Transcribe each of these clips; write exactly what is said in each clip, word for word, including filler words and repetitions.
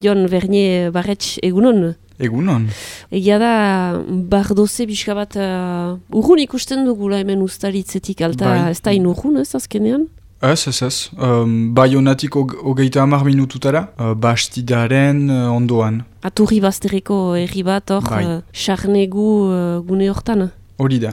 Jon Vernier Barretx, egunon? Egunon. Egia da, bardoze pixka bat uh, urrun ikusten dugula hemen ustaritzetik, alta bai. Ez da inurrun ez azkenean? Ez, ez, ez. Um, Baionatik hogeita hamar minututara, uh, bastidaren uh, ondoan. Aturri bazterreko herri bat hor, bai. uh, sarnegu uh, gune hortan? Hori da.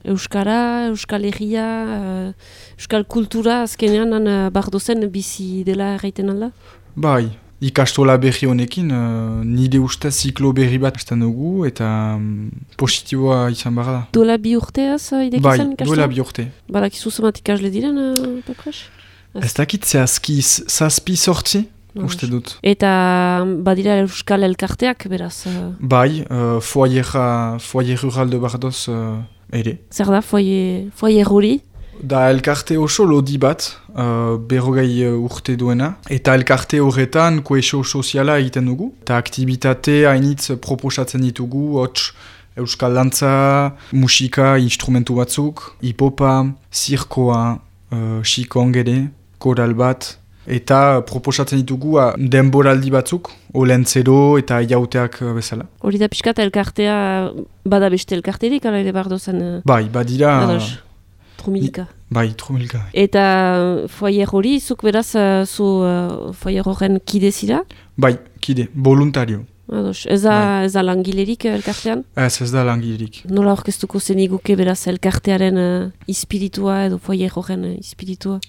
Euskara, Euskal Herria, uh, Euskal Kultura azkenean uh, bardozen bizi dela erraiten alda? Bai. Ikastola berri honekin, uh, nire ustez ziklo berri bat estan dugu eta um, positiboa izan barra da. Duela bi urteaz uh, idekizan ikastola? Bai, duela bi urte. Badakizu zemat ikasle diren, uh, Pepres? Ez dakit zehazki zazpi sortzi, uste dut. Eta badira Euskal Elkarteak, beraz? Uh... Bai, uh, foyer, foyer rural de Bardoz uh, ere. Zer da, foyer, foyer hori? Da elkarte oso lodi bat, uh, berrogei uh, urte duena, eta elkarte horretan koesio soziala egiten dugu. Eta aktibitate hainitz proposatzen ditugu, hots euskal dantza, musika, instrumentu batzuk, hipopa, zirkoa, uh, xikong ere, koral bat, eta proposatzen ditugu uh, denboraldi batzuk, olentzero eta jauteak uh, bezala. Hori da pixkat elkartea, bada beste elkarterik, ala ere bardozen? Uh... Bai, badira... Ados. Trumilka. Bai, trumilka. Eta foyer hori, zuk beraz, uh, zu uh, foyer horren kide zira? Bai, kide, voluntario. Ados, ez da, bai. Ez da langilerik elkartean? Ez, ez da langilerik. Nola orkestuko zeniguke beraz elkartearen uh, ispiritua edo foyer horren uh, ispiritua?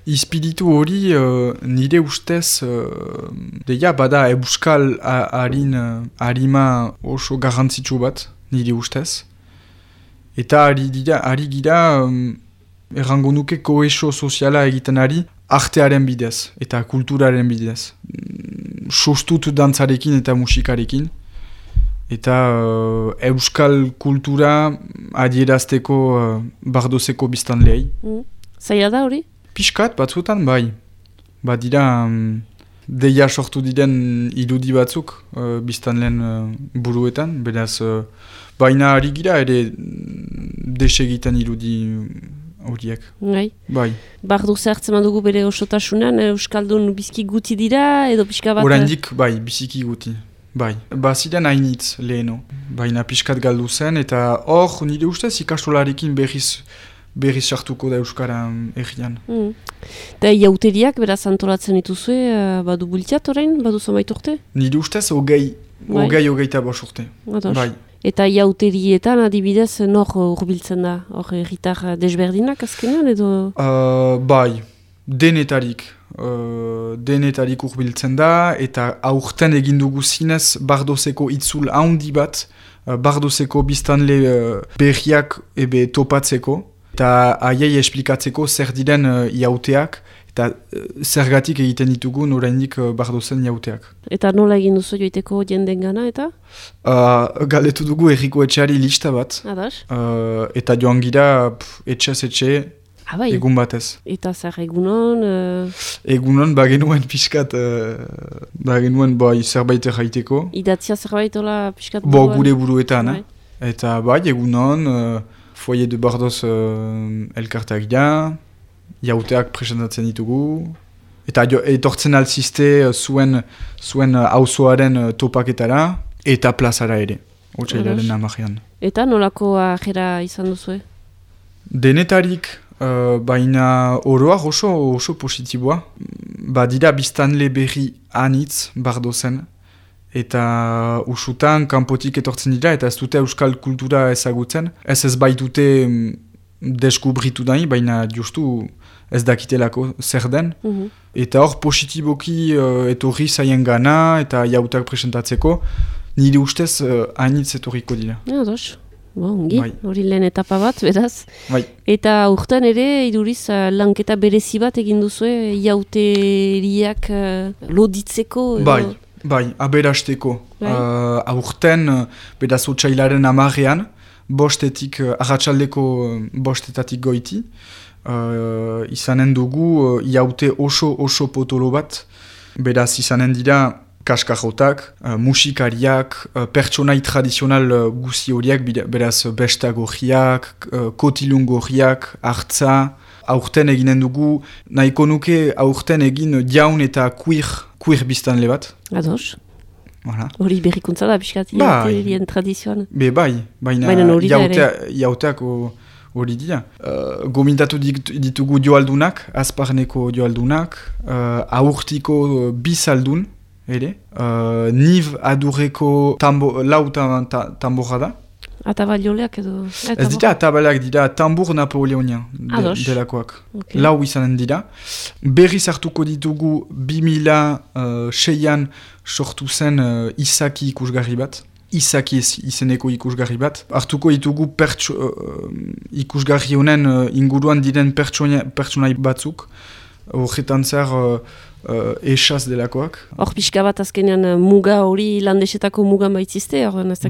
Ispiritu hori uh, nire ustez, uh, deia bada euskal harin uh, harima oso garrantzitsu bat, nire ustez. Eta ari dira, ari gira, um, errango nuke koesio soziala egiten ari, artearen bidez eta kulturaren bidez. Sostut dantzarekin eta musikarekin. Eta uh, euskal kultura adierazteko uh, bardozeko biztanleei. Mm. Zaila da hori? Piskat batzutan, bai. Badira, um, deia sortu diren irudi batzuk uh, biztanleen uh, buruetan, beraz... Uh, Baina ari gira ere desegiten irudi horiek. Bai. Bai. Bardoze hartzen dugu bere osotasunan, Euskaldun bizki guti dira edo pixka bat? Oraindik, bai, biziki guti. Bai. Baziren hainitz leheno. Baina pixkat galdu zen eta hor nire ustez ikastolarekin berriz berriz sartuko da Euskara errian. Mm. Da iauteriak beraz antolatzen dituzue, badu bultiat orain, badu zomait urte? Nire ustez hogei, hogei hogeita bos urte. Bai. Eta iauterietan adibidez nor urbiltzen da? Hor erritar desberdinak azkenean edo? Uh, bai, denetarik. Uh, denetarik urbiltzen da eta aurten egin dugu zinez bardozeko itzul handi bat, uh, bardozeko biztanle uh, berriak ebe topatzeko eta haiei esplikatzeko zer diren uh, iauteak eta uh, zergatik egiten ditugun oraindik uh, bardozen iauteak. Eta nola egin duzu joiteko jenden gana eta? Uh, galetu dugu erriko etxeari lista bat. Adas? Uh, eta joan gira etxez etxe ah, bai. Egun batez. Eta zer egunon? Uh... Egunon bagenuen pixkat, uh, bagenuen bai, zerbait erraiteko. Idatzia zerbait ola pixkat? Bo gure buruetan. Bai. Eh? Eta bai, egunon, uh, foyer de Bardoz uh, elkarteak da, jauteak presentatzen ditugu. Eta jo, etortzen alziste uh, zuen, zuen auzoaren uh, topaketara. Eta plazara ere, otsailaren amarean. Eta nolako ajera izan duzue? Denetarik, uh, baina oroak oso, oso positiboa. Badira biztanle berri anitz bardozen. Eta usutan kanpotik etortzen dira eta ez dute euskal kultura ezagutzen. Ez ez baitute deskubritu dain, baina justu ez dakitelako zer den. Mm-hmm. Eta hor positiboki uh, etorri zaien gana eta jautak presentatzeko. Nire ustez uh, hainitz etorriko dira. Ja, dos. Ongi, hori lehen etapa bat, beraz. Bai. Eta urtean ere, iduriz, uh, lanketa berezi bat egin duzue, jauteriak uh, loditzeko? Bai, bai, aberasteko. Bai. Uh, aurten, uh, beraz otsailaren amarean, bostetik, uh, arratsaldeko uh, bostetatik goiti, uh, izanen dugu uh, jaute oso oso potolo bat, beraz izanen dira, kaskajotak, uh, musikariak, uh, pertsonai tradizional uh, guzi horiak, beraz besta gorriak, uh, kotilun gorriak, hartza, aurten eginen dugu, nahiko nuke aurten egin jaun eta queer, queer biztanle bat. Ados. Voilà. Hori berrikuntza da, piskat, jauterien tradizioan. Be bai, baina jauteak hori dira. Uh, gomintatu ditugu joaldunak, azparneko joaldunak, uh, aurtiko bizaldun, ere. Uh, niv adurreko tambo, lau tamborra da. Atabalioleak edo... Ez dira atabalak dira tambur napoleonian de, delakoak. Okay. Lau izanen dira. Berriz hartuko ditugu bi mila seian sortu zen uh, Isaki ikusgarri bat. Isaki izeneko ikusgarri bat. Hartuko ditugu pertso, uh, ikusgarri honen uh, inguruan diren pertsonai batzuk. Horretan zer... Uh, Uh, esaz delakoak. Hor pixka bat azkenean muga hori landesetako mugan baitzizte?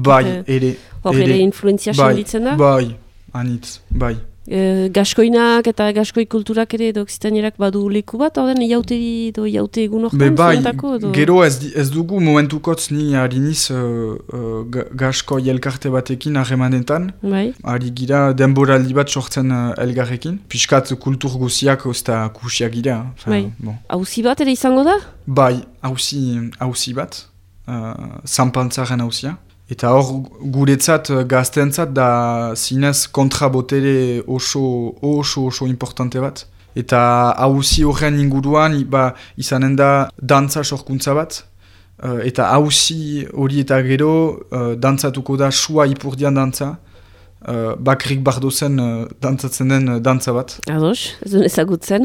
Bai, ere. Hor ere influenzia senditzen da? Bai, anitz, bai. E, gaskoinak eta gaskoi kulturak ere edo oksitanierak badu leku bat, orden iauteri edo iaute egun hortan? Bai, edo... gero ez, ez dugu momentukotz ni hariniz uh, uh, gaskoi elkarte batekin harremanetan. Bai. Ari gira denboraldi bat sortzen uh, elgarrekin. Piskat kultur guziak ozta kusiak gira. Bai. Bon. Hauzi bat ere izango da? Bai, hauzi bat. Uh, Zanpantzaren hauzia. Eta hor guretzat gaztentzat da zinez kontrabotere oso oso oso importante bat. Eta hauzi horren inguruan ba, izanen da dantza sorkuntza bat. Uh, eta hauzi hori eta gero uh, dantzatuko da sua ipurdian dantza. Uh, bakrik bardozen uh, dantzatzen den uh, dantza bat. Ados, ez duen ezagutzen.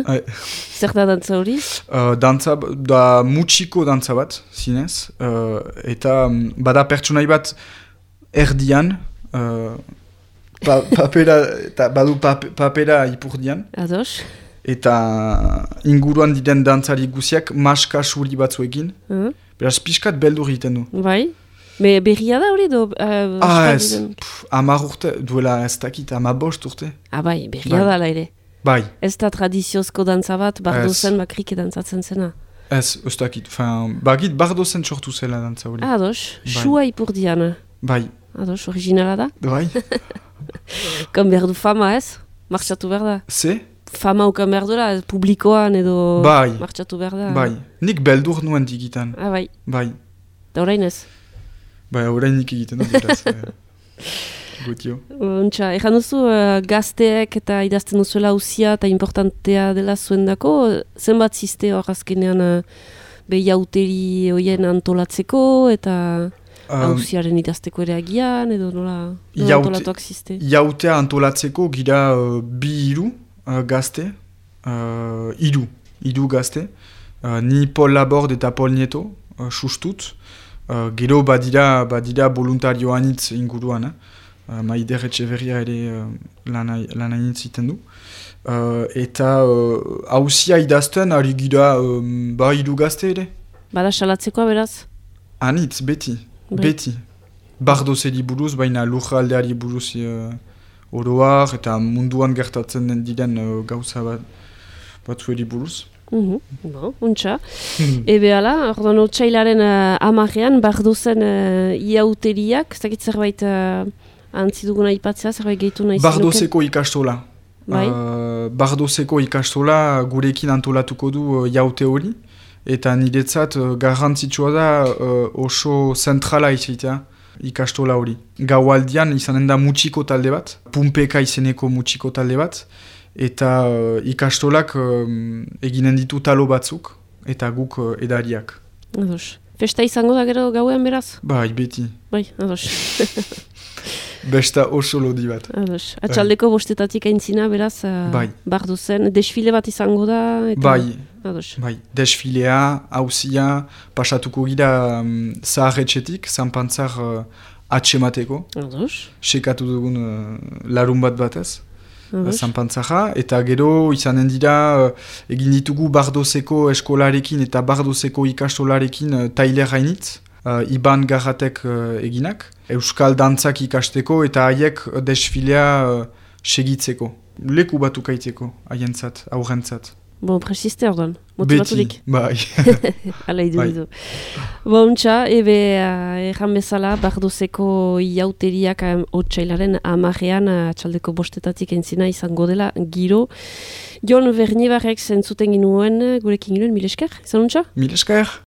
Zer da dantza hori? Uh, dantza da mutxiko dantza bat, zinez. Uh, eta um, bada pertsonai bat erdian, uh, pa, papera, eta badu pap, papera ipurdian. Ados. Eta inguruan diren dantzari guziak maska suri batzuekin. Uh-huh. Beraz, pixkat beldur egiten du. Bai. Me berria da hori do? Uh, ah ez, amar urte, duela ez dakit, ama bost urte. Ah bai, berria bai. Da la ere. Bai. Ez da tradiziozko dantza bat, bardozen bakrik dantzatzen zena. Ez, ez dakit, bagit bardozen sortu zela dantza hori. Ados, sua ipurdian. Bai. Ados, originala da? Bai. Kan behar du fama ez? Martxatu behar da? Ze? Fama ukan behar duela, publikoan edo bai. Martxatu behar da. Bai, nik beldur nuen digitan. Ah bai. Bai. Da orain ez? Bai, orain nik egiten dut, beraz. Gutio. Untxa, ejan duzu uh, gazteek eta idazten duzuela hauzia eta importantea dela zuendako, zenbat ziste hor azkenean uh, behiauteri hoien antolatzeko eta hauziaren um, idazteko ere agian, edo nola, nola jaute, antolatuak ziste? Jautea antolatzeko gira uh, bi hiru uh, gazte, uh, hiru, hiru gazte, uh, ni Paul Laborde eta Paul Nieto, uh, sustut. Uh, gero badira, badira voluntario anitz inguruan, eh? uh, Maider Etxeverria ere uh, lan anitz iten du. Uh, eta hauzia uh, idazten ari gira um, ba hiru gazte ere. Bada salatzekoa beraz? Anitz, beti, Be. beti. Bardozeri buruz, baina lurraldeari buruz uh, oroar eta munduan gertatzen den diren uh, gauza bat, batzueri buruz. Uhum, bon, untxa. Ebe ala, ordoan otxailaren uh, amarrean, bardozen uh, iauteriak, ez dakit zerbait uh, antziduguna ipatzea, zerbait gehitu nahi zinuken? Bardozeko ikastola. Bai? Uh, Bardozeko ikastola gurekin antolatuko du uh, jaute hori, eta niretzat uh, garrantzitsua da uh, oso zentrala izatea ikastola hori. Gaualdian izanen da mutxiko talde bat, Pumpeka izeneko mutxiko talde bat, eta uh, ikastolak um, eginen ditu talo batzuk, eta guk uh, edariak. Ados. Festa izango da gero gauean beraz? Bai, beti. Bai, ados. Besta oso lodi bat. Ados. Atxaldeko bostetatik aintzina beraz, uh, bai. Bardozen, desfile bat izango da? Eta... Bai, ados. Bai. Desfilea, hauzia, pasatuko gira um, zaharretxetik, zanpantzar uh, atxemateko. Ados. Sekatu dugun uh, larun bat batez. Zanpantzaja, eta gero izanen dira uh, egin ditugu Bardozeko eskolarekin eta Bardozeko ikastolarekin uh, tailer hainitz, uh, Iban Garratek uh, eginak, Euskal dantzak ikasteko eta haiek desfilea uh, segitzeko, leku batu kaiteko, haientzat, aurrentzat. Bon, presiste orduan, motivaturik. Beti, bai. Hala idu Bai. ditu. Bon, txa, ebe uh, erran bezala, Bardozeko iauteriak um, otsailaren amarrean uh, atxaldeko bostetatik entzina izango dela giro. Jon Berniebarrek zentzuten ginuen, gurekin ginuen, mil esker, izan untxa? Mil esker.